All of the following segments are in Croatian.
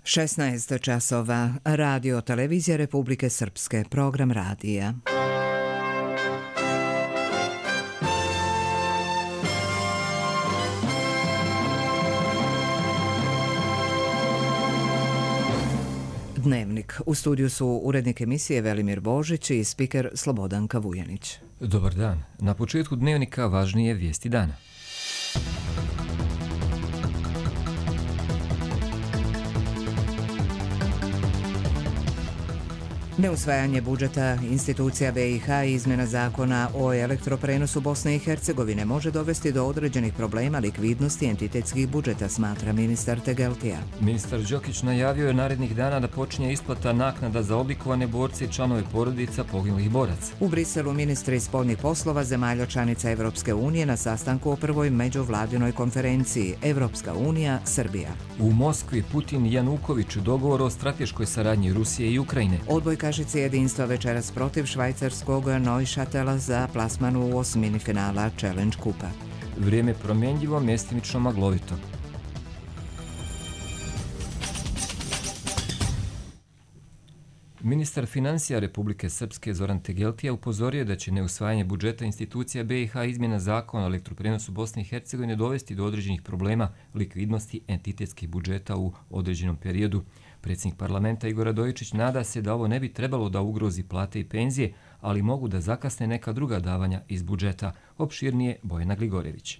16 časova. Radio Televizija Republike Srpske. Program radija. Dnevnik. U studiju su urednik emisije Velimir Božić i spiker Slobodanka Vujanić. Dobar dan. Na početku dnevnika važnije vijesti dana. Neusvajanje budžeta institucija BiH i izmjena zakona o elektroprenosu Bosne i Hercegovine može dovesti do određenih problema likvidnosti entitetskih budžeta, smatra ministar Tegeltija. Ministar Đokić najavio je narednih dana da počinje isplata naknada za odlikovane borce i članove porodica poginulih boraca. U Briselu ministri spoljnih poslova zemalja članica Evropske unije na sastanku o prvoj međuvladinoj konferenciji Evropska unija, Srbija. U Moskvi Putin i Januković dogovor o strateškoj saradnji Rusije i Ukrajine. Odbojkašice jedinstva večeras protiv švajcarskog Neuchatela za plasman u osmini finala Challenge Kupa. Vrijeme promjenjivo, mjestimično maglovito. Ministar financija Republike Srpske Zoran Tegeltija upozorio da će neusvajanje budžeta institucija BiH i izmjena zakona o elektroprenosu Bosne i Hercegovine dovesti do određenih problema likvidnosti entitetskih budžeta u određenom periodu. Predsjednik parlamenta Igor Radojičić nada se da ovo ne bi trebalo da ugrozi plate i penzije, ali mogu da zakasne neka druga davanja iz budžeta. Opširnije Bojana Gligorević.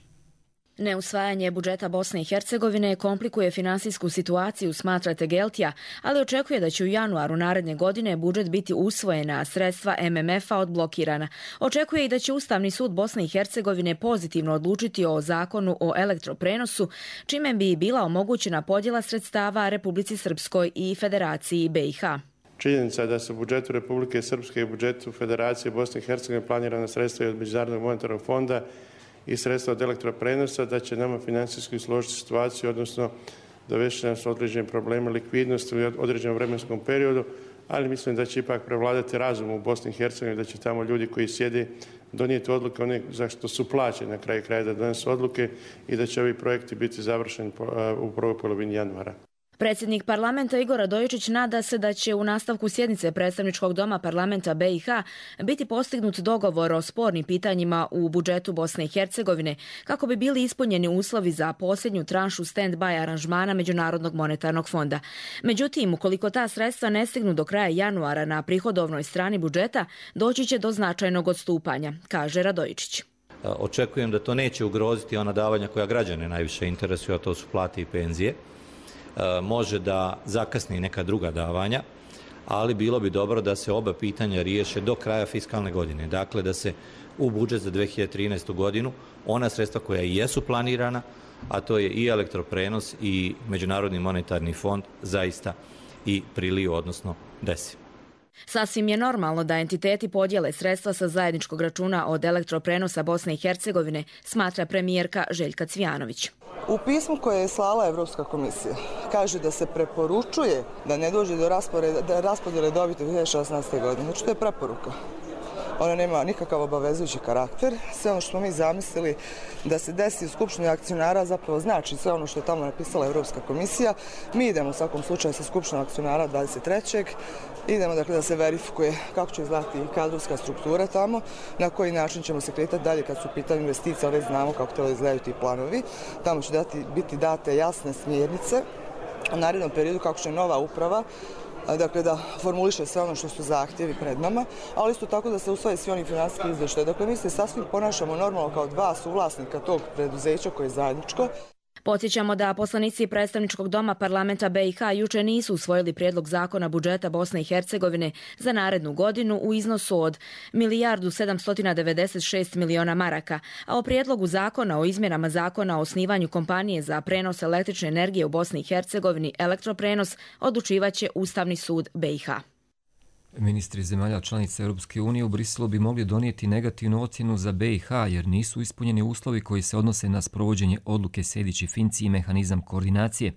Neusvajanje budžeta Bosne i Hercegovine komplikuje finansijsku situaciju, smatra Tegeltija, ali očekuje da će u januaru naredne godine budžet biti usvojen, a sredstva MMF-a odblokirana. Očekuje i da će Ustavni sud Bosne i Hercegovine pozitivno odlučiti o zakonu o elektroprenosu, čime bi bila omogućena podjela sredstava Republici Srpskoj i Federaciji BiH. Činjenica je da se u budžetu Republike Srpske i budžetu Federacije Bosne i Hercegovine planirana sredstva od Međunarodnog monetarnog fonda i sredstva od elektroprenosa, da će nama financijski složiti situaciju, odnosno dovesti nas određene probleme likvidnosti u određenom vremenskom periodu, ali mislim da će ipak prevladati razum u Bosni i Hercegovini, da će tamo ljudi koji sjede donijeti odluke one za što su plaćeni na kraju kraja da donesu odluke i da će ovi projekti biti završeni u prvoj polovini januara. Predsjednik parlamenta Igor Radojičić nada se da će u nastavku sjednice predstavničkog doma parlamenta BiH biti postignut dogovor o spornim pitanjima u budžetu Bosne i Hercegovine kako bi bili ispunjeni uslovi za posljednju tranšu stand-by aranžmana Međunarodnog monetarnog fonda. Međutim, ukoliko ta sredstva ne stignu do kraja januara na prihodovnoj strani budžeta, doći će do značajnog odstupanja, kaže Radojičić. Očekujem da to neće ugroziti ona davanja koja građane najviše interesuju, a to su plate i penzije. Može da zakasni neka druga davanja, ali bilo bi dobro da se oba pitanja riješe do kraja fiskalne godine. Dakle, da se u budžet za 2013. godinu ona sredstva koja i jesu planirana, a to je i elektroprenos i Međunarodni monetarni fond, zaista i priliju, odnosno desi. Sasvim je normalno da entiteti podijele sredstva sa zajedničkog računa od elektroprenosa Bosne i Hercegovine, smatra premijerka Željka Cvijanović. U pismu koje je slala Evropska komisija kaže da se preporučuje da ne dođe do raspodjele dobiti u 2016. godine. Znači, to je preporuka. Ona nema nikakav obavezujući karakter. Sve ono što smo mi zamislili da se desi u Skupštini akcionara zapravo znači sve ono što je tamo napisala Evropska komisija. Mi idemo u svakom slučaju sa Skupštinom akcionara 23. Idemo dakle da se verifikuje kako će izgledati kadrovska struktura tamo, na koji način ćemo se kretati dalje kad su u pitanju investicije, ali znamo kako treba izgledaju ti planovi. Tamo će biti date jasne smjernice u narednom periodu kako će nova uprava dakle da formuliše sve ono što su zahtjevi pred nama, ali isto tako da se usvoje svi oni finansijski izvještaji. Dakle, mi se sasvim ponašamo normalno kao dva suvlasnika tog preduzeća koje je zajedničko. Podsjećamo da poslanici predstavničkog doma parlamenta BiH juče nisu usvojili prijedlog zakona budžeta Bosne i Hercegovine za narednu godinu u iznosu od 1.796.000.000 maraka, a o prijedlogu zakona o izmjenama zakona o osnivanju kompanije za prenos električne energije u Bosni i Hercegovini Elektroprenos odlučivaće Ustavni sud BiH. Ministri zemalja članica Europske unije u Briselu bi mogli donijeti negativnu ocjenu za BiH jer nisu ispunjeni uslovi koji se odnose na sprovođenje odluke Sejdić i Finci i mehanizam koordinacije.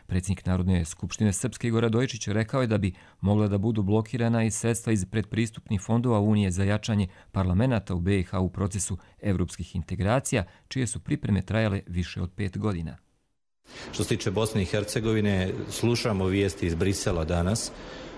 Predsjednik Narodne skupštine Srpske Igor Radojičić rekao je da bi mogla da budu blokirana i sredstva iz predpristupnih fondova Unije za jačanje parlamenata u BiH u procesu evropskih integracija, čije su pripreme trajale više od 5 godina. Što se tiče Bosne i Hercegovine, slušamo vijesti iz Brisela danas.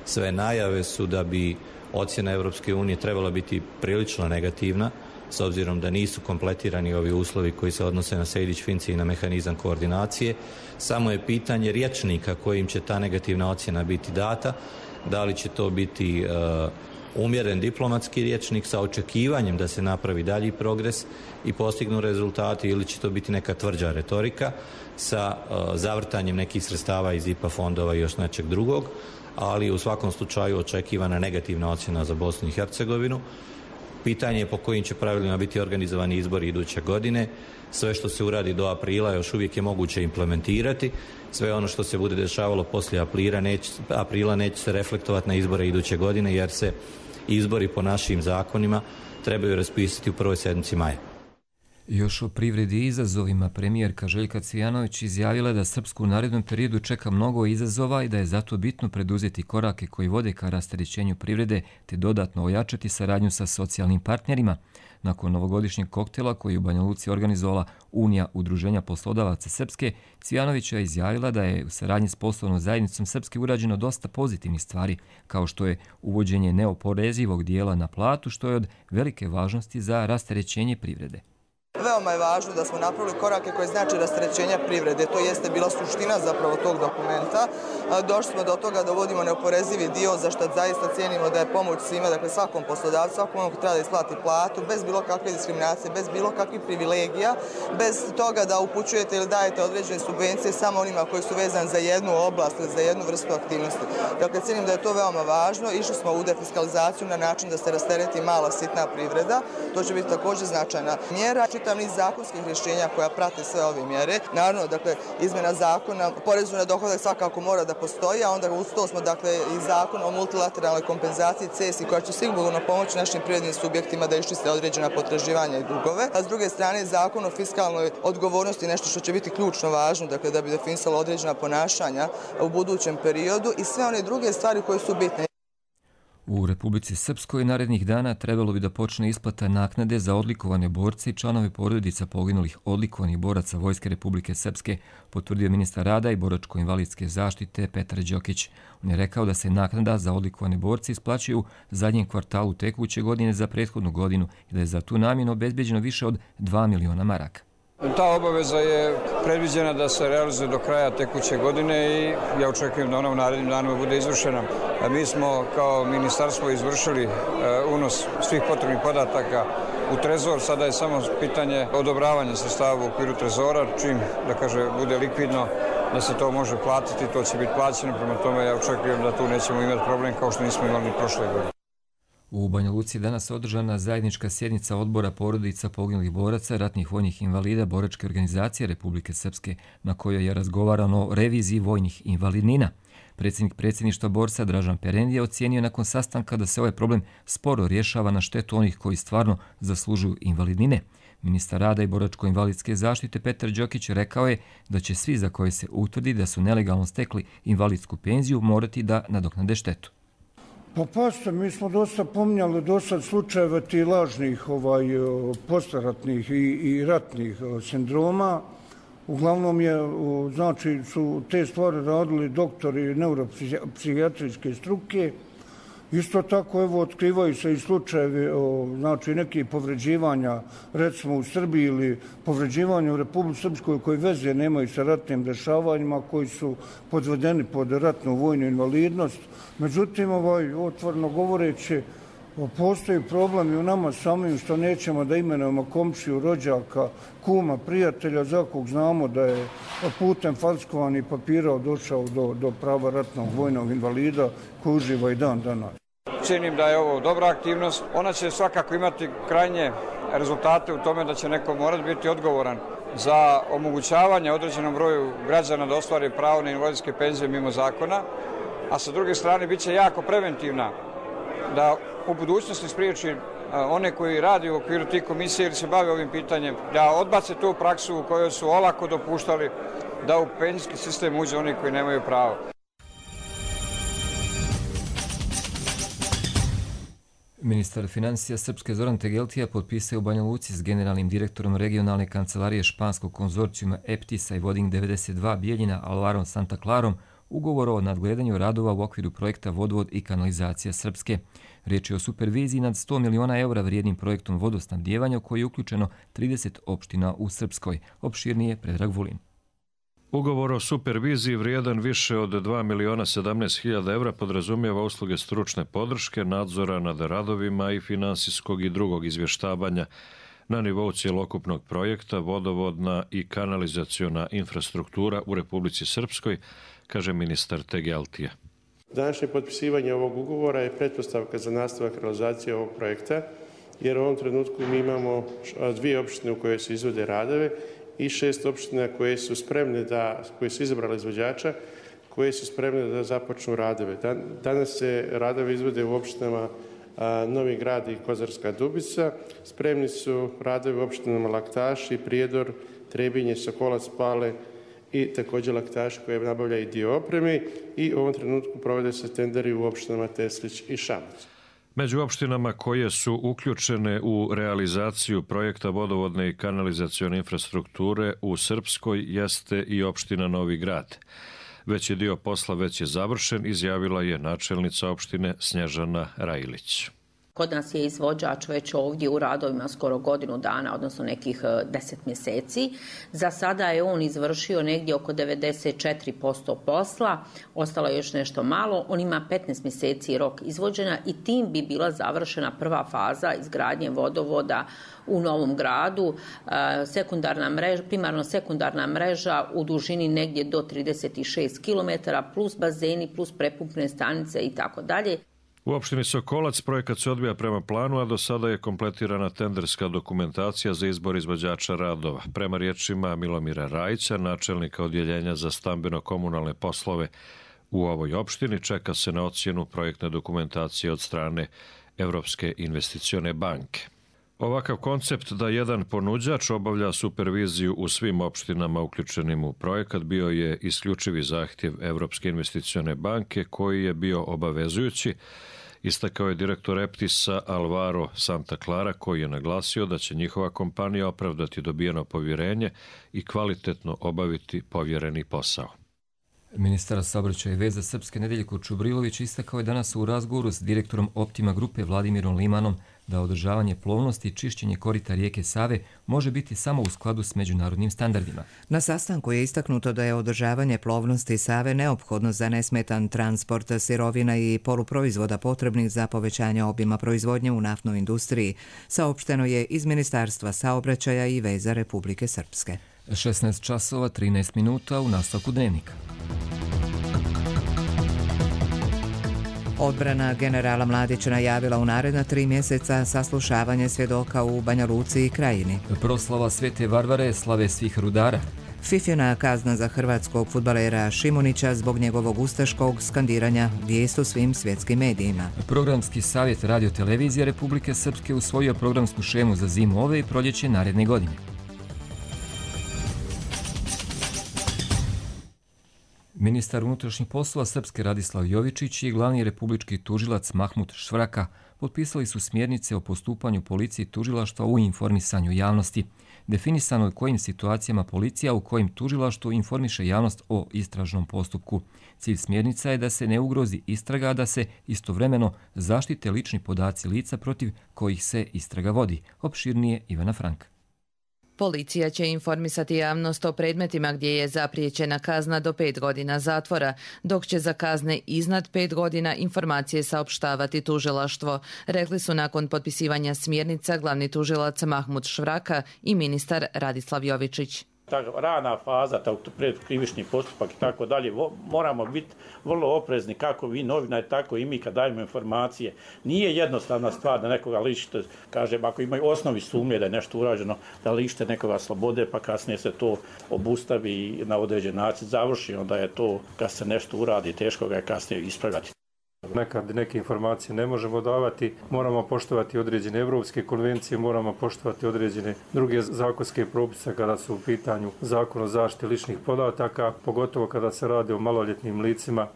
Sve najave su da bi ocjena Europske unije trebala biti prilično negativna, s obzirom da nisu kompletirani ovi uslovi koji se odnose na Sejdić-Finci i na mehanizam koordinacije. Samo je pitanje rječnika kojim će ta negativna ocjena biti data, da li će to biti umjeren diplomatski rječnik sa očekivanjem da se napravi dalji progres i postignu rezultati, ili će to biti neka tvrđa retorika sa zavrtanjem nekih sredstava iz IPA fondova i još nečeg drugog, ali u svakom slučaju očekivana negativna ocjena za Bosnu i Hercegovinu. Pitanje je po kojim će pravilima biti organizovani izbori iduće godine. Sve što se uradi do aprila još uvijek je moguće implementirati. Sve ono što se bude dešavalo poslije aprila neće se reflektovati na izbore iduće godine, jer se izbori po našim zakonima trebaju raspisati u prvoj sedmici maja. Još o privredi i izazovima premijerka Željka Cvijanović izjavila da Srpsku u narednom periodu čeka mnogo izazova i da je zato bitno preduzeti korake koji vode ka rasterećenju privrede te dodatno ojačati saradnju sa socijalnim partnerima. Nakon novogodišnjeg koktela koji je u Banja Luci organizovala Unija udruženja poslodavaca Srpske, Cvijanović je izjavila da je u saradnji s poslovnom zajednicom Srpske urađeno dosta pozitivnih stvari, kao što je uvođenje neoporezivog dijela na platu, što je od velike važnosti za rasterećenje privrede. Veoma je važno da smo napravili korake koje znači rasterećenja privrede. To jeste bila suština zapravo tog dokumenta. Došli smo do toga da uvodimo neoporezivi dio, za što zaista cijenimo da je pomoć svima, dakle svakom poslodavcu, svakom onog treba da isplati platu, bez bilo kakve diskriminacije, bez bilo kakvih privilegija, bez toga da upućujete ili dajete određene subvencije samo onima koji su vezani za jednu oblast ili za jednu vrstu aktivnosti. Dakle, cijenim da je to veoma važno. Išli smo u defiskalizaciju na način da se rastereti mala sitna privreda. To će biti također značajna mjera. Čitav niz zakonskih rješenja koja prate sve ove mjere. Naravno, dakle, izmjena zakona, porezu na dohodak svakako mora da postoji, a onda uz to smo, dakle, i zakon o multilateralnoj kompenzaciji CESI koja će sigurno pomoći našim privrednim subjektima da iščiste određena potraživanja i dugove. A s druge strane, zakon o fiskalnoj odgovornosti, nešto što će biti ključno važno, dakle, da bi definisalo određena ponašanja u budućem periodu i sve one druge stvari koje su bitne. U Republici Srpskoj narednih dana trebalo bi da počne isplata naknade za odlikovane borce i članove porodica poginulih odlikovanih boraca Vojske Republike Srpske, potvrdio ministar rada i boračko-invalidske zaštite Petar Đokić. On je rekao da se naknada za odlikovane borce isplaćuju u zadnjem kvartalu tekuće godine za prethodnu godinu i da je za tu namjenu obezbeđeno više od 2 miliona maraka. Ta obaveza je predviđena da se realizuje do kraja tekuće godine i ja očekujem da ona u narednim danima bude izvršena. Mi smo kao ministarstvo izvršili unos svih potrebnih podataka u Trezor. Sada je samo pitanje odobravanja sredstava u okviru Trezora, čim, da kaže, bude likvidno da se to može platiti, to će biti plaćeno. Prema tome ja očekujem da tu nećemo imati problem kao što nismo imali prošle godine. U Banja Luci je danas održana zajednička sjednica odbora porodica poginulih boraca, ratnih vojnih invalida boračke organizacije Republike Srpske, na kojoj je razgovarano o reviziji vojnih invalidnina. Predsjednik predsjedništva borca Dražan Perendija ocijenio nakon sastanka da se ovaj problem sporo rješava na štetu onih koji stvarno zaslužuju invalidnine. Ministar rada i boračko-invalidske zaštite Petar Đokić rekao je da će svi za koje se utvrdi da su nelegalno stekli invalidsku penziju morati da nadoknade štetu. Pa mi smo dosta pominjali dosad slučajeva ti lažnih postaratnih i ratnih sindroma. Uglavnom znači, su te stvari radili doktori neuropsihijatrijske struke. Isto tako, evo, otkrivaju se i slučajevi znači, nekih povređivanja, recimo u Srbiji ili povređivanja u Republici Srpskoj koji veze nemaju sa ratnim dešavanjima, koji su podvedeni pod ratnu vojnu invalidnost. Međutim, otvoreno govoreći, postoji problem i u nama samim što nećemo da imenujemo komšiju, rođaka, kuma, prijatelja, za kog znamo da je putem falsifikovanih papira došao do prava ratnog vojnog invalida koji uživa i dan danas. Cijenim da je ovo dobra aktivnost. Ona će svakako imati krajnje rezultate u tome da će neko morati biti odgovoran za omogućavanje određenom broju građana da ostvari pravo na invalidske penzije mimo zakona, a sa druge strane bit će jako preventivna da u budućnosti spriječi one koji radi u okviru tih komisija ili se bave ovim pitanjem, da odbace tu praksu u kojoj su olako dopuštali da u penzijski sistem uđe oni koji nemaju pravo. Ministar financija Srpske Zoran Tegeltija potpisao u Banja Luci s generalnim direktorom regionalne kancelarije španskog konzorcijuma EPTIS-a i Voding 92 Bijeljina Alvarom Santa Clarom ugovor o nadgledanju radova u okviru projekta Vodovod i kanalizacija Srpske. Riječ je o superviziji nad 100 miliona eura vrijednim projektom vodosnabdijevanja u koji je uključeno 30 opština u Srpskoj. Opširnije Predrag Vulin. Ugovor o superviziji vrijedan više od 2.017.000 eura podrazumijeva usluge stručne podrške, nadzora nad radovima i finansijskog i drugog izvještavanja na nivou cjelokupnog projekta vodovodna i kanalizaciona infrastruktura u Republici Srpskoj, kaže ministar Tegeltija. Današnje potpisivanje ovog ugovora je pretpostavka za nastavak realizacije ovog projekta, jer u ovom trenutku mi imamo 2 opštine u koje se izvode radove i 6 opština koje su spremne koje su izabrali izvođača, koje su spremne da započnu radove. Danas se radovi izvode u opštinama Novi Grad i Kozarska Dubica. Spremni su radovi u opštinama Laktaši, Prijedor, Trebinje, Sokolac, Pale i također Laktaši koje nabavlja i dio opreme i u ovom trenutku provode se tenderi u opštinama Teslić i Šamac. Među opštinama koje su uključene u realizaciju projekta vodovodne i kanalizacione infrastrukture u Srpskoj jeste i opština Novi Grad. Veći dio posla već je završen, izjavila je načelnica opštine Snježana Rajlić. Kod nas je izvođač već ovdje u radovima skoro godinu dana, odnosno nekih 10 mjeseci. Za sada je on izvršio negdje oko 94% posla, ostalo je još nešto malo. On ima 15 mjeseci rok izvođenja i tim bi bila završena prva faza izgradnje vodovoda u Novom Gradu, primarno sekundarna mreža u dužini negdje do 36 km, plus bazeni, plus prepumpne stanice i tako dalje. U opštini Sokolac projekat se odvija prema planu, a do sada je kompletirana tenderska dokumentacija za izbor izvođača radova. Prema riječima Milomira Rajića, načelnika odjeljenja za stambeno-komunalne poslove u ovoj opštini, čeka se na ocjenu projektne dokumentacije od strane Evropske investicione banke. Ovakav koncept da jedan ponuđač obavlja superviziju u svim opštinama uključenim u projekat bio je isključivi zahtjev Evropske investicione banke koji je bio obavezujući, istakao je direktor EPTIS-a Alvaro Santa Clara koji je naglasio da će njihova kompanija opravdati dobijeno povjerenje i kvalitetno obaviti povjereni posao. Ministar saobraćaja i veza Srpske Nedeljko Čubrilović istakao je danas u razgovoru s direktorom Optima grupe Vladimirom Limanom da održavanje plovnosti i čišćenje korita rijeke Save može biti samo u skladu s međunarodnim standardima. Na sastanku je istaknuto da je održavanje plovnosti Save neophodno za nesmetan transport sirovina i poluproizvoda potrebnih za povećanje obima proizvodnje u naftnoj industriji, saopšteno je iz Ministarstva saobraćaja i veza Republike Srpske. 16 časova 13 minuta u nastavku dnevnika. Odbrana generala Mladića najavila u naredna 3 mjeseca saslušavanje svjedoka u Banja Luci i Krajini. Proslava Svete Varvare, slave svih rudara. Fifina kazna za hrvatskog fudbalera Šimunića zbog njegovog ustaškog skandiranja vijest u svim svjetskim medijima. Programski savjet radiotelevizije Republike Srpske usvojio programsku šemu za zimu ove i proljeće naredne godine. Ministar unutrašnjih poslova Srpske Radislav Jovičić i glavni republički tužilac Mahmut Švraka potpisali su smjernice o postupanju policije i tužilaštva u informisanju javnosti. Definisano je kojim situacijama policija u kojim tužilaštvo informiše javnost o istražnom postupku. Cilj smjernica je da se ne ugrozi istraga, a da se istovremeno zaštite lični podaci lica protiv kojih se istraga vodi. Opširnije Ivana Frank. Policija će informisati javnost o predmetima gdje je zapriječena kazna do 5 godina zatvora, dok će za kazne iznad 5 godina informacije saopštavati tužilaštvo, rekli su nakon potpisivanja smjernica glavni tužilac Mahmut Švraka i ministar Radislav Jovičić. Ta rana faza, predkrivični postupak i tako dalje, moramo biti vrlo oprezni kako vi novinari, tako i mi kad dajemo informacije. Nije jednostavna stvar da nekoga lišite, kažem, ako imaju osnovi sumnje da je nešto urađeno, da lišite nekoga slobode, pa kasnije se to obustavi i na određen način završi, onda je to, kad se nešto uradi, teško ga je kasnije ispravljati. Nekad neke informacije ne možemo davati, moramo poštovati određene evropske konvencije, moramo poštovati određene druge zakonske propise kada su u pitanju Zakon o zaštiti ličnih podataka, pogotovo kada se radi o maloljetnim licima.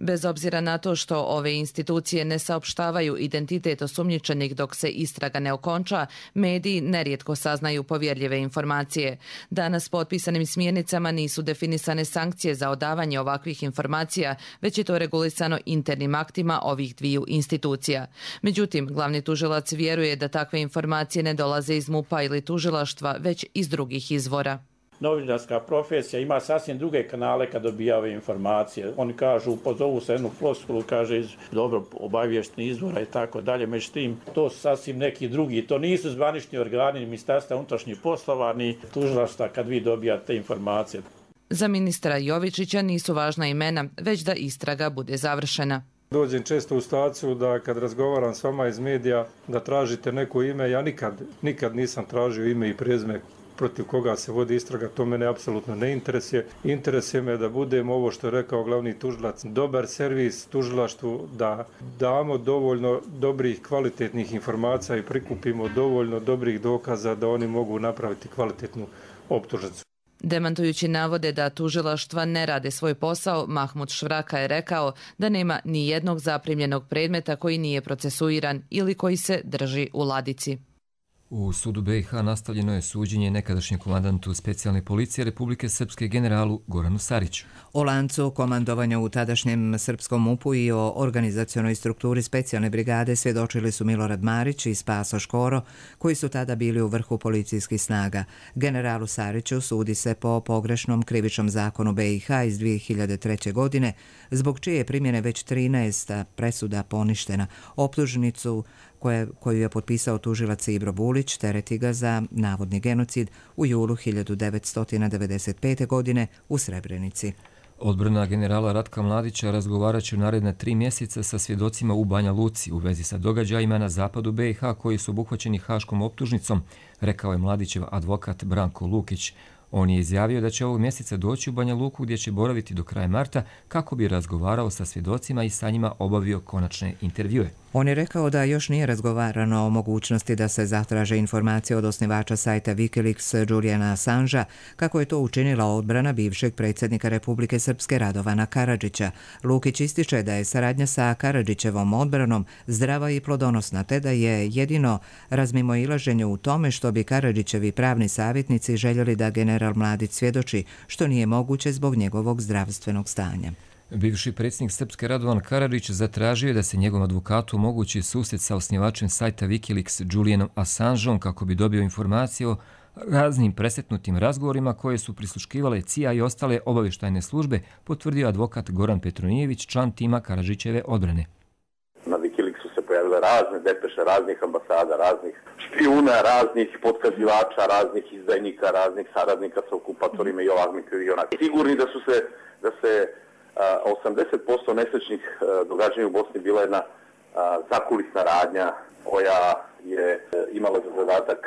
Bez obzira na to što ove institucije ne saopštavaju identitet osumnjičenih dok se istraga ne okonča, mediji nerijetko saznaju povjerljive informacije. Danas potpisanim smjernicama nisu definisane sankcije za odavanje ovakvih informacija, već je to regulisano internim aktima ovih dviju institucija. Međutim, glavni tužilac vjeruje da takve informacije ne dolaze iz MUP-a ili tužilaštva, već iz drugih izvora. Novinarska profesija ima sasvim druge kanale kad dobija ove informacije. Oni kažu, pozovu se jednu floskulu, kaže iz dobro obavještenih izvora i tako dalje. Međutim, to su sasvim neki drugi. To nisu zvanični organi ni Ministarstva unutrašnjih poslova ni tužilaštva kad vi dobijate informacije. Za ministra Jovičića nisu važna imena, već da istraga bude završena. Dođem često u situaciju da kad razgovaram s vama iz medija da tražite neko ime, ja nikad nisam tražio ime i prezime protiv koga se vodi istraga, to mene apsolutno ne interesuje. Interesuje me da budemo, ovo što je rekao glavni tužilac, dobar servis tužilaštvu, da damo dovoljno dobrih kvalitetnih informacija i prikupimo dovoljno dobrih dokaza da oni mogu napraviti kvalitetnu optužnicu. Demantujući navode da tužilaštva ne rade svoj posao, Mahmud Švraka je rekao da nema ni jednog zaprimljenog predmeta koji nije procesuiran ili koji se drži u ladici. U sudu BiH nastavljeno je suđenje nekadašnjem komandantu specijalne policije Republike Srpske generalu Goranu Sariću. O lancu komandovanja u tadašnjem srpskom MUP-u i o organizacionoj strukturi specijalne brigade svjedočili su Milorad Marić i Spaso Škoro, koji su tada bili u vrhu policijskih snaga. Generalu Sariću sudi se po pogrešnom krivičnom zakonu BiH iz 2003. godine, zbog čije primjene već 13 presuda poništena. Optužnicu koju je potpisao tužilac Ibro Bulić tereti ga za navodni genocid u julu 1995. godine u Srebrenici. Odbrana generala Ratka Mladića razgovarat će u naredna 3 mjeseca sa svjedocima u Banja Luci u vezi sa događajima na zapadu BiH koji su obuhvaćeni haškom optužnicom, rekao je Mladićev advokat Branko Lukić. On je izjavio da će ovog mjeseca doći u Banja Luku gdje će boraviti do kraja marta kako bi razgovarao sa svjedocima i sa njima obavio konačne intervjue. On je rekao da još nije razgovarano o mogućnosti da se zatraže informacije od osnivača sajta Wikileaks Julijana Assangea, kako je to učinila odbrana bivšeg predsjednika Republike Srpske Radovana Karadžića. Lukić ističe da je saradnja sa Karadžićevom odbranom zdrava i plodonosna, te da je jedino razmimoilaženje u tome što bi Karadžićevi pravni savjetnici željeli da general Mladić svjedoči, što nije moguće zbog njegovog zdravstvenog stanja. Bivši predsjednik Srpske Radovan Karadžić zatražio je da se njegovom advokatu omogući susret sa osnivačem sajta Wikileaks Julianom Assangeom kako bi dobio informacije o raznim presretnutim razgovorima koje su prisluškivale CIA i ostale obavještajne službe, potvrdio advokat Goran Petronijević, član tima Karadžićeve odbrane. Na Wikileaksu se pojavile razne depeše raznih ambasada, raznih špijuna, raznih potkazivača, raznih izdajnika, raznih saradnika sa okupatorima i ovakvih i onakvih. Sigurni da se 80% nesrećnih događanja u Bosni bila jedna zakulisna radnja koja je imala za zadatak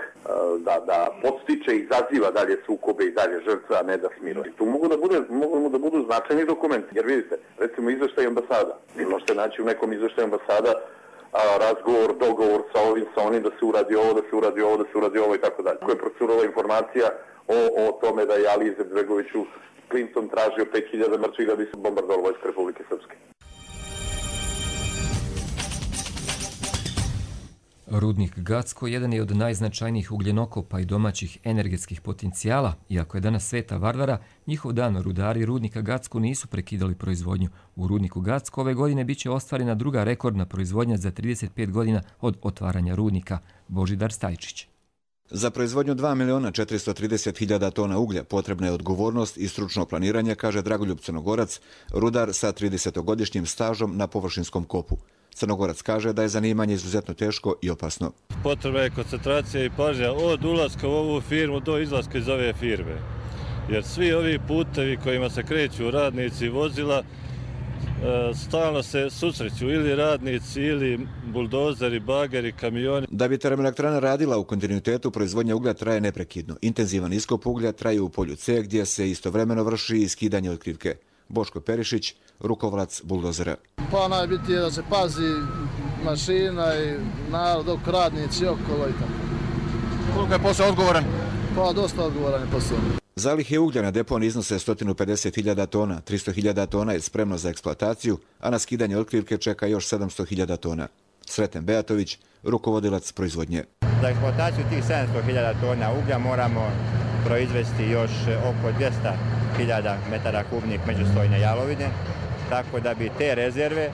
da podstiče i izaziva dalje sukobe i dalje žrtve, a ne da smiruje. Tu mogu da budu značajni dokumenti, jer vidite, recimo izveštaj ambasada. Vi možete naći u nekom izveštaju ambasada razgovor, dogovor sa ovim, sa onim, da se uradi ovo, da se uradi ovo, da se uradi ovo i tako dalje. Koja je procurala informacija o tome da je Ali Izetbegoviću Clinton tražio 5000 mrtvih da bi se bombardovalo vojska Republike Srpske. Rudnik Gacko jedan je od najznačajnijih ugljenokopa i domaćih energetskih potencijala. Iako je danas Sveta Varvara, njihov dan rudari rudnika Gacko nisu prekidali proizvodnju. U rudniku Gacko ove godine biće ostvarena druga rekordna proizvodnja za 35 godina od otvaranja rudnika. Božidar Stajčić. Za proizvodnju 2.430.000 tona uglja potrebna je odgovornost i stručno planiranje, kaže Dragoljub Crnogorac, rudar sa 30-godišnjim stažom na površinskom kopu. Crnogorac kaže da je zanimanje izuzetno teško i opasno. Potrebna je koncentracija i pažnja od ulaska u ovu firmu do izlaska iz ove firme. Jer svi ovi putevi kojima se kreću radnici vozila, stalno se susreću ili radnici ili buldozeri, bageri, kamioni. Da bi termoelektrana radila u kontinuitetu, proizvodnja uglja traje neprekidno. Intenzivan iskop uglja traje u polju C gdje se istovremeno vrši i skidanje otkrivke. Boško Perišić, rukovalac buldozera. Pa najbitnije je da se pazi mašina i narod dok radnici okolo i tako. Koliko je posao odgovoran? Pa dosta odgovoran je posao. Zalihe uglja na deponiji iznose 150.000 tona, 300.000 tona je spremno za eksploataciju, a na skidanje otkrivke čeka još 700.000 tona. Sreten Beatović, rukovodilac proizvodnje. Za eksploataciju tih 700.000 tona uglja moramo proizvesti još oko 200.000 metara kubnih međustojne jalovine, tako da bi te rezerve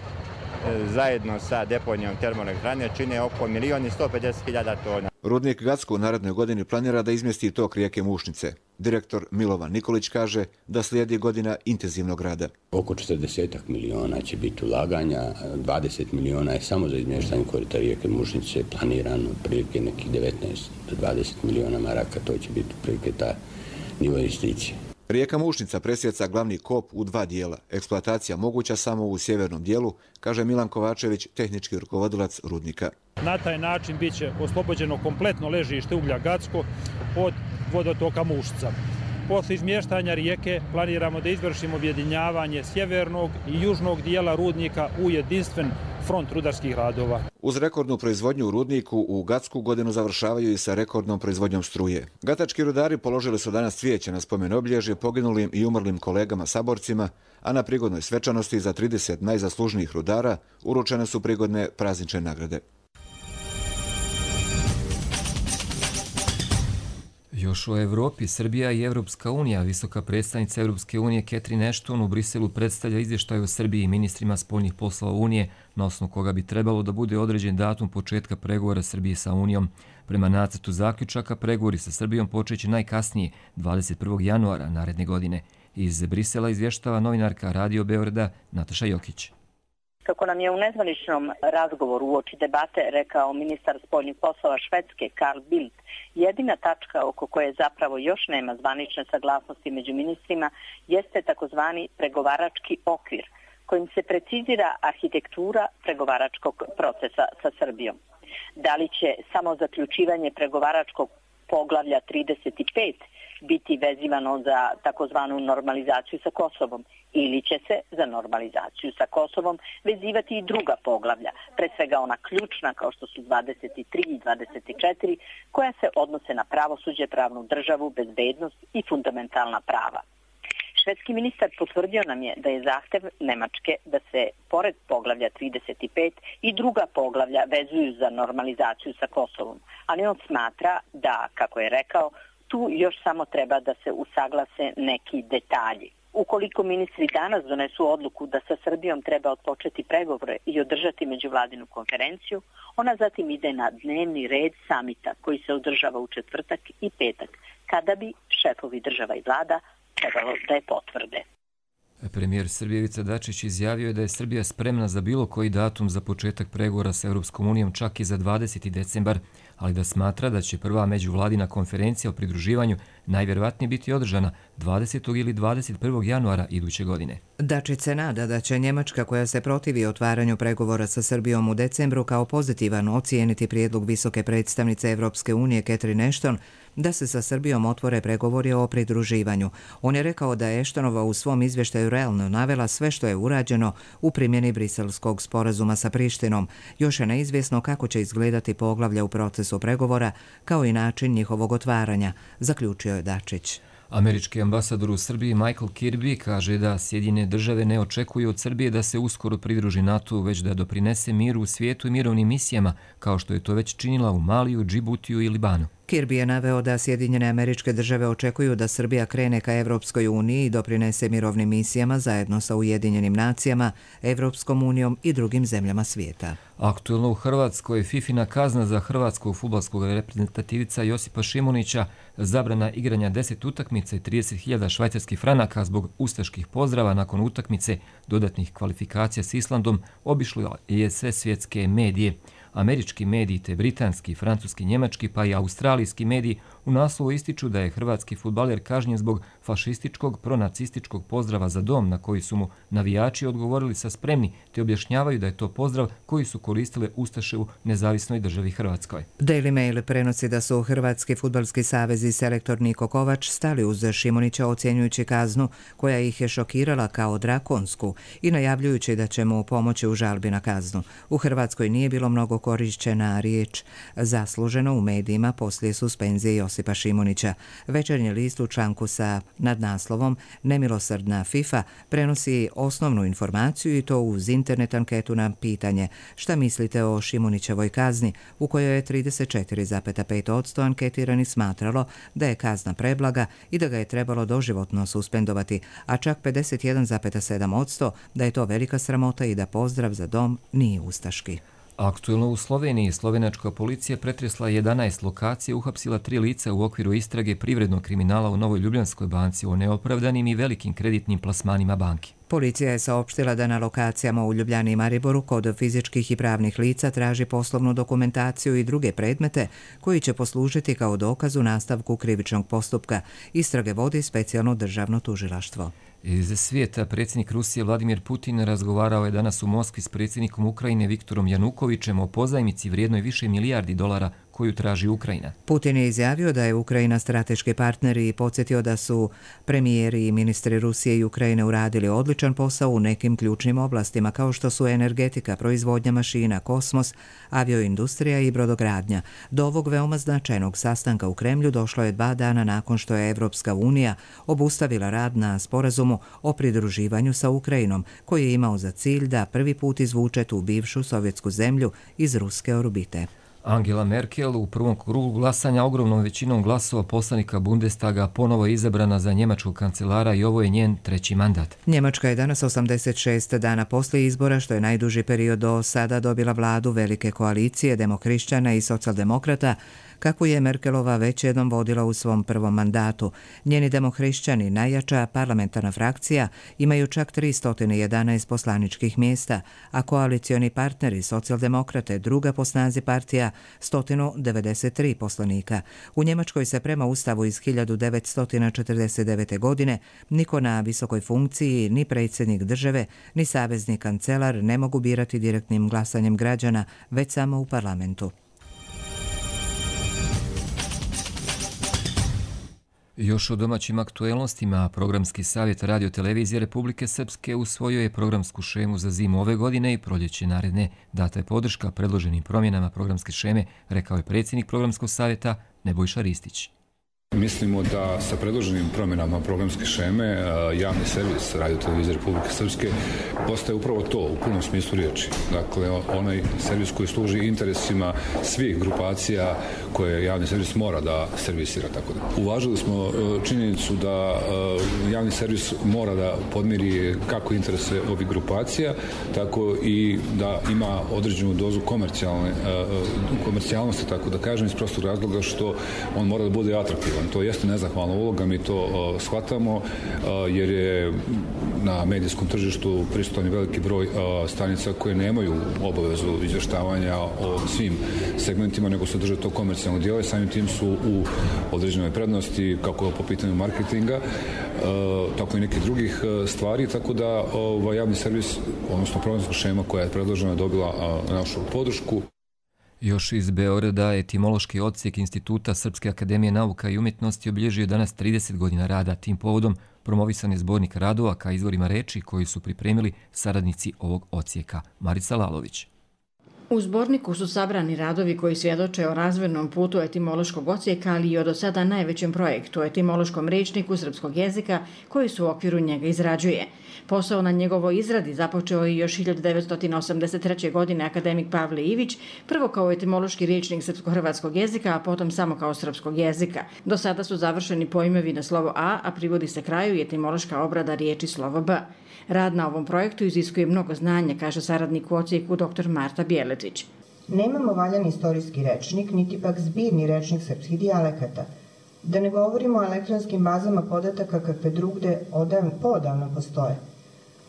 zajedno sa deponijom termoelektrane čine oko 1.150.000 tona. Rudnik Gacko u narednoj godini planira da izmjesti tok rijeke Mušnice. Direktor Milovan Nikolić kaže da slijedi godina intenzivnog rada. Oko 40 miliona će biti ulaganja, 20 miliona je samo za izmještanje korita rijeke Mušnice planirano, prilike nekih 19 do 20 miliona maraka, to će biti prilike ta nivo investicije. Rijeka Mušnica presjeca glavni kop u dva dijela. Eksploatacija moguća samo u sjevernom dijelu, kaže Milan Kovačević, tehnički rukovodilac rudnika. Na taj način bit će oslobođeno kompletno ležište uglja Gacko od vodotoka Mušnica. Posle izmještanja rijeke planiramo da izvršimo objedinjavanje sjevernog i južnog dijela rudnika u jedinstven front rudarskih radova. Uz rekordnu proizvodnju u rudniku u Gacku godinu završavaju i sa rekordnom proizvodnjom struje. Gatački rudari položili su danas cvijeće na spomen obilježje poginulim i umrlim kolegama saborcima, a na prigodnoj svečanosti za 30 najzaslužnijih rudara uručene su prigodne praznične nagrade. Još o Evropi, Srbija i Evropska unija. Visoka predstavnica Evropske unije Catherine Ashton u Briselu predstavlja izvještaj o Srbiji i ministrima spoljnih poslova Unije, na osnovu koga bi trebalo da bude određen datum početka pregovora Srbije sa Unijom. Prema nacrtu zaključaka, pregovori sa Srbijom počeće najkasnije 21. januara naredne godine. Iz Brisela izvještava novinarka Radio Beograda Nataša Jokić. Kako nam je u nezvaničnom razgovoru uoči debate rekao ministar spoljnih poslova Švedske Carl Bildt, jedina tačka oko koje zapravo još nema zvanične saglasnosti među ministrima jeste takozvani pregovarački okvir, kojim se precizira arhitektura pregovaračkog procesa sa Srbijom. Da li će samo zaključivanje pregovaračkog poglavlja 35 biti vezivano za takozvanu normalizaciju sa Kosovom ili će se za normalizaciju sa Kosovom vezivati i druga poglavlja, pre svega ona ključna kao što su 23 i 24, koja se odnose na pravosuđe, pravnu državu, bezbednost i fundamentalna prava. Švedski ministar potvrdio nam je da je zahtev Nemačke da se pored poglavlja 35 i druga poglavlja vezuju za normalizaciju sa Kosovom, ali on smatra da, kako je rekao, tu još samo treba da se usaglase neki detalji. Ukoliko ministri danas donesu odluku da sa Srbijom treba odpočeti pregovore i održati međuvladinu konferenciju, ona zatim ide na dnevni red samita koji se održava u četvrtak i petak, kada bi šefovi država i vlada trebalo da je potvrde. Premijer Srbije Ivica Dačić izjavio je da je Srbija spremna za bilo koji datum za početak pregovora sa Europskom unijom, čak i za 20. decembar, ali da smatra da će prva međuvladina konferencija o pridruživanju najvjerovatnije biti održana 20. ili 21. januara iduće godine. Dačić se nada da će Njemačka, koja se protivi otvaranju pregovora sa Srbijom u decembru, kao pozitivan ocijeniti prijedlog visoke predstavnice Evropske unije Catherine Ashton da se sa Srbijom otvore pregovori o pridruživanju. On je rekao da je Ashtonova u svom izvještaju realno navela sve što je urađeno u primjeni Briselskog sporazuma sa Prištinom. Još je neizvjesno kako će izgledati poglavlja u procesu pregovora, kao i način njihovog otvaranja, zaključio je Dačić. Američki ambasador u Srbiji Michael Kirby kaže da Sjedinjene države ne očekuju od Srbije da se uskoro pridruži NATO, već da doprinese miru u svijetu i mirovnim misijama, kao što je to već činila u Maliju, Džibutiju i Libanu. Kirby je naveo da Sjedinjene Američke Države očekuju da Srbija krene ka Evropskoj uniji i doprinese mirovnim misijama zajedno sa Ujedinjenim nacijama, Evropskom unijom i drugim zemljama svijeta. Aktuelno u Hrvatskoj je fifina kazna za hrvatskog fudbalskog reprezentativica Josipa Šimunića, zabrana igranja 10 utakmica i 30.000 švajcarskih franaka zbog ustaških pozdrava nakon utakmice dodatnih kvalifikacija s Islandom obišlo je sve svjetske medije. Američki mediji te britanski, francuski, njemački pa i australijski mediji u naslovu ističu da je hrvatski fudbaler kažnjen zbog fašističkog, pronacističkog pozdrava za dom na koji su mu navijači odgovorili sa spremni, te objašnjavaju da je to pozdrav koji su koristile ustaše u nezavisnoj državi Hrvatskoj. Daily Mail prenosi da su Hrvatski fudbalski savez i selektor Niko Kovač stali uz Šimunića ocjenjujući kaznu koja ih je šokirala kao drakonsku i najavljujući da će mu pomoći u žalbi na kaznu. U Hrvatskoj nije bilo mnogo korišćena riječ zasluženo u medijima poslije suspenzije Josipa Josipa Šimunića. Večernji list u članku sa nadnaslovom Nemilosrdna FIFA prenosi osnovnu informaciju i to uz internet anketu na pitanje šta mislite o Šimunićevoj kazni, u kojoj je 34,5% anketiranih smatralo da je kazna preblaga i da ga je trebalo doživotno suspendovati, a čak 51,7% da je to velika sramota i da pozdrav za dom nije ustaški. Aktuelno u Sloveniji slovenačka policija pretresla 11 lokacija, uhapsila 3 lica u okviru istrage privrednog kriminala u Novoj Ljubljanskoj banci o neopravdanim i velikim kreditnim plasmanima banki. Policija je saopštila da na lokacijama u Ljubljani i Mariboru kod fizičkih i pravnih lica traži poslovnu dokumentaciju i druge predmete koji će poslužiti kao dokaz u nastavku krivičnog postupka. Istrage vodi specijalno državno tužilaštvo. Iz svijeta predsjednik Rusije Vladimir Putin razgovarao je danas u Moskvi s predsjednikom Ukrajine Viktorom Janukovićem o pozajmici vrijednoj više milijardi dolara koju traži Ukrajina. Putin je izjavio da je Ukrajina strateški partner i podsjetio da su premijeri i ministri Rusije i Ukrajine uradili odličan posao u nekim ključnim oblastima kao što su energetika, proizvodnja mašina, kosmos, avioindustrija i brodogradnja. Do ovog veoma značajnog sastanka u Kremlju došlo je 2 dana nakon što je Evropska unija obustavila rad na sporazumu o pridruživanju sa Ukrajinom, koji je imao za cilj da prvi put izvuče tu bivšu sovjetsku zemlju iz ruske orbite. Angela Merkel u prvom krugu glasanja ogromnom većinom glasova poslanika Bundestaga ponovo je izabrana za njemačkog kancelara i ovo je njen 3. mandat. Njemačka je danas 86 dana poslije izbora, što je najduži period do sada, dobila vladu velike koalicije demokrišćana i socijaldemokrata, kako je Merkelova već jednom vodila u svom prvom mandatu. Njeni demohrišćani, najjača parlamentarna frakcija, imaju čak 311 poslaničkih mjesta, a koalicioni partneri socijaldemokrate, druga po snazi partija, 193 poslanika. U Njemačkoj se prema ustavu iz 1949. godine niko na visokoj funkciji, ni predsjednik države, ni savezni kancelar ne mogu birati direktnim glasanjem građana, već samo u parlamentu. Još o domaćim aktuelnostima, Programski savjet Radio-televizije Republike Srpske usvojio je programsku šemu za zimu ove godine i proljeće naredne. Data je podrška predloženim promjenama programske šeme, rekao je predsjednik Programskog savjeta Nebojša Ristić. Mislimo da sa predloženim promjenama programske šeme javni servis Radio-televizije Republike Srpske postaje upravo to u punom smislu riječi. Dakle, onaj servis koji služi interesima svih grupacija koje javni servis mora da servisira. Tako da. Uvažili smo činjenicu da javni servis mora da podmiri kako interese ovih grupacija, tako i da ima određenu dozu komercijalnosti, tako da kažem, iz prostog razloga što on mora da bude atraktivan. To jeste nezahvalna uloga, mi to shvatamo, jer je na medijskom tržištu prisutan veliki broj stanica koje nemaju obavezu izvještavanja o svim segmentima, nego se drže to komercijalno dijelo i samim tim su u određenoj prednosti, kako po pitanju marketinga, tako i nekih drugih stvari, tako da javni servis, odnosno programska šema koja je predložena, dobila našu podršku. Još iz Beograda etimološki odsjek Instituta Srpske akademije nauka i umjetnosti obilježio danas 30 godina rada. Tim povodom promovisan je zbornik radova ka izvorima reči koji su pripremili saradnici ovog odsjeka. Marica Lalović. U zborniku su sabrani radovi koji svjedoče o razvojnom putu etimološkog odsjeka, ali i o do sada najvećem projektu, etimološkom rečniku srpskog jezika, koji su u okviru njega izrađuje. Posao na njegovoj izradi započeo je još 1983. godine akademik Pavle Ivić, prvo kao etimološki rečnik srpsko-hrvatskog jezika, a potom samo kao srpskog jezika. Do sada su završeni pojmovi na slovo A privodi se kraju i etimološka obrada riječi slovo B. Rad na ovom projektu iziskuje mnogo znanja, kaže saradnik u odsjeku dr. Marta Bjeletić. Nemamo valjan istorijski rečnik, niti pak zbirni rečnik srpskih dijalekata. Da ne govorimo o elektronskim bazama podataka kakve drugde poodavno postoje.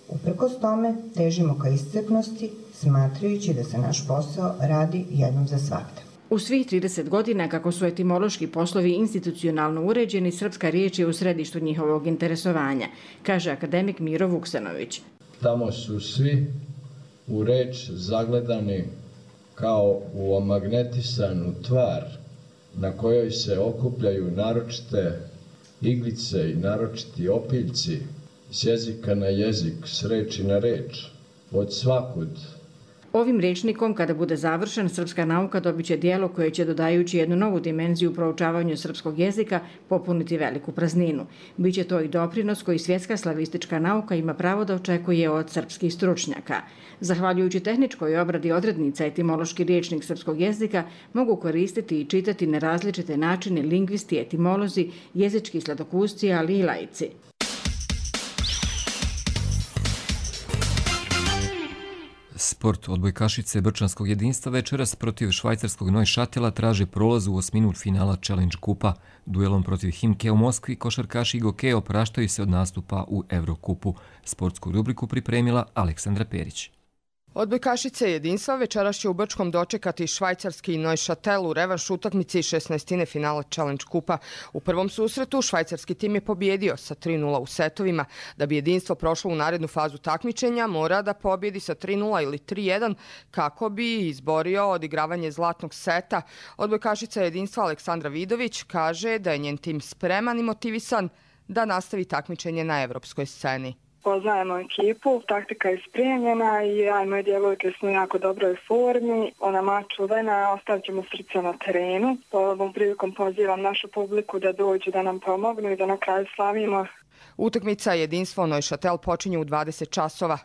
Uprkos tome, težimo ka iscrpnosti, smatrajući da se naš posao radi jednom za svakda. U svih 30 godina, kako su etimološki poslovi institucionalno uređeni, srpska riječ je u središtu njihovog interesovanja, kaže akademik Miro Vuksanović. Tamo su svi u reč zagledani kao u omagnetisanu tvar na kojoj se okupljaju naročite iglice i naročiti opiljci s jezika na jezik, s reči na reč, od svakud Ovim rečnikom, kada bude završen, srpska nauka dobit će dijelo koje će, dodajući jednu novu dimenziju u proučavanju srpskog jezika, popuniti veliku prazninu. Biće to i doprinos koji svjetska slavistička nauka ima pravo da očekuje od srpskih stručnjaka. Zahvaljujući tehničkoj obradi odrednica, etimološki rječnik srpskog jezika mogu koristiti i čitati na različite načine lingvisti, etimolozi, jezički sladokusci, ali i laici. Sport odbojkašice Brčanskog jedinstva večeras protiv švajcarskog Neuchâtela traže prolaz u osminu finala Challenge Kupa. Duelom protiv Himke u Moskvi košarkaši i gokeji opraštaju se od nastupa u Evrokupu. Sportsku rubriku pripremila Aleksandra Perić. Odbojkašice jedinstva večeras će u Brčkom dočekati švajcarski Neuchâtel u revanš utakmici 16. finala Challenge Kupa. U prvom susretu švajcarski tim je pobjedio sa 3:0 u setovima. Da bi jedinstvo prošlo u narednu fazu takmičenja, mora da pobjedi sa 3:0 ili 3:1 kako bi izborio odigravanje zlatnog seta. Odbojkašica jedinstva Aleksandra Vidović kaže da je njen tim spreman i motivisan da nastavi takmičenje na evropskoj sceni. Poznajemo ekipu, taktika je spremljena i ja i moje djevojke smo u jako dobroj formi. Ona ma čuvena, ostavit ćemo srce na terenu. Ovom prilikom pozivam našu publiku da dođu da nam pomognu i da na kraju slavimo. Utakmica jedinstvo Neuchâtel počinje u 20 časova.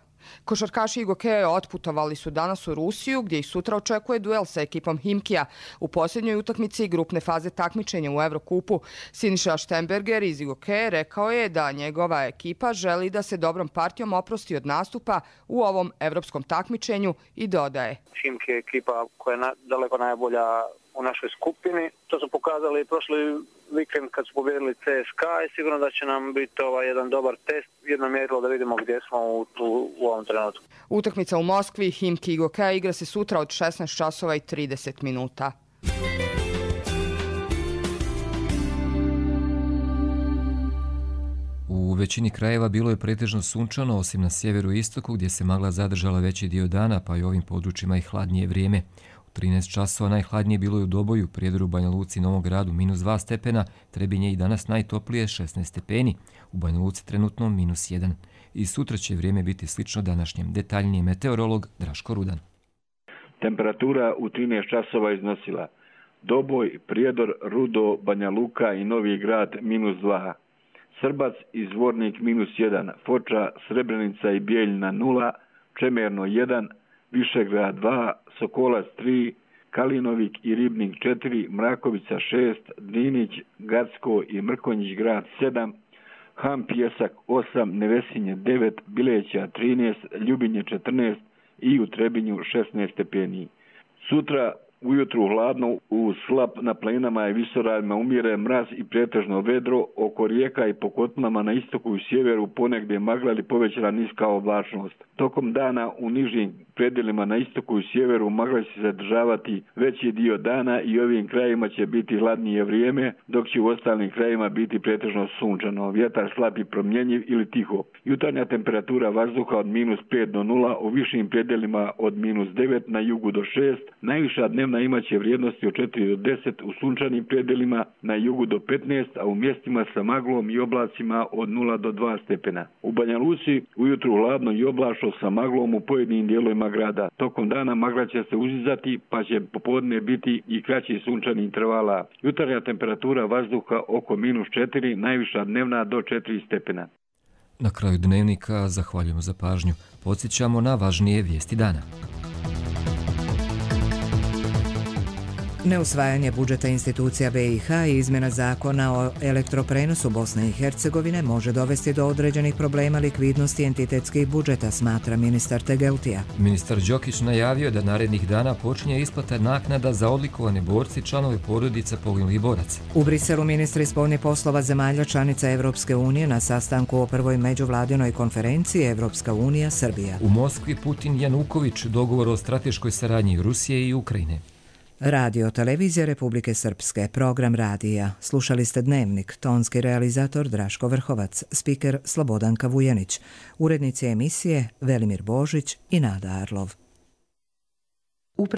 Košarkaši i gokeje otputovali su danas u Rusiju, gdje ih sutra očekuje duel sa ekipom Himkija. U posljednjoj utakmici grupne faze takmičenja u Evrokupu Siniša Štemberger iz gokeje rekao je da njegova ekipa želi da se dobrom partijom oprosti od nastupa u ovom evropskom takmičenju i dodaje. Himki je ekipa koja je daleko najbolja u našoj skupini. To su pokazali prošli vikend kad su pobjedili CSKA i sigurno da će nam biti jedan dobar test, jedno mjerilo da vidimo gdje smo u ovom trenutku. Utakmica u Moskvi, Himki i Gokeja igra se sutra od 16 časova i 30 minuta. U većini krajeva bilo je pretežno sunčano, osim na sjeveru i istoku gdje se magla zadržala veći dio dana, pa i ovim područjima i hladnije vrijeme. 13 časova najhladnije bilo je u Doboju, Prijedoru, Banja Luci, Novom Gradu -2 stepena, Trebinje i danas najtoplije 16 stepeni, u Banja Luci trenutno -1. I sutra će vrijeme biti slično današnjem. Detaljniji meteorolog Draško Rudan. Temperatura u 13 časova iznosila Doboj, Prijedor, Rudo, Banja Luka i Novi Grad -2. Srbac i Zvornik -1, Foča, Srebrenica i Bijeljina 0, Čemerno 1, Višegrad 2, Sokolac 3, Kalinovik i Ribnik 4, Mrakovica 6, Drinić, Gacko i Mrkonjić grad 7, Ham Pjesak 8, Nevesinje 9, Bileća 13, Ljubinje 14 i u Trebinju 16 stepeni. Sutra ujutru hladno, u slab na planinama i visoravima umire mraz i pretežno vedro, oko rijeka i po kotlama na istoku i sjeveru ponegdje magla ili povećana niska oblačnost. Tokom dana u nižim predjelima na istoku i sjeveru magla će se zadržavati veći dio dana i ovim krajima će biti hladnije vrijeme, dok će u ostalim krajima biti pretežno sunčano. Vjetar slab i promjenjiv ili tiho. Jutarnja temperatura vazduha od -5 do 0, u višim predjelima od -9, na jugu do 6, najviša dnevna imaće vrijednosti od 4 do 10, u sunčanim predjelima na jugu do 15, a u mjestima sa maglom i oblacima od 0 do 2 stepena. U Banja Luci ujutru hladno i oblačno sa maglom u pojedinim dijelovima grada. Tokom dana magla će se uzizati, pa će popodne biti i kraći sunčani intervala. Jutarnja temperatura vazduha oko -4, najviša dnevna do 4 stepena. Na kraju dnevnika zahvaljujemo za pažnju. Podsjećamo na važnije vijesti dana. Neusvajanje budžeta institucija BiH i izmjena zakona o elektroprenosu Bosne i Hercegovine može dovesti do određenih problema likvidnosti entitetskih budžeta, smatra ministar Tegeltija. Ministar Đokić najavio da narednih dana počinje isplata naknada za odlikovane borci, članove porodica poginulih boraca. U Briselu ministri spoljnih poslova zemalja članica Evropske unije na sastanku o prvoj međuvladinoj konferenciji Evropska unija Srbija. U Moskvi Putin Januković dogovor o strateškoj saradnji Rusije i Ukrajine. Radio Televizija Republike Srpske, program radija. Slušali ste Dnevnik, tonski realizator Draško Vrhovac, spiker Slobodanka Vujanić, urednici emisije Velimir Božić i Nada Arlov.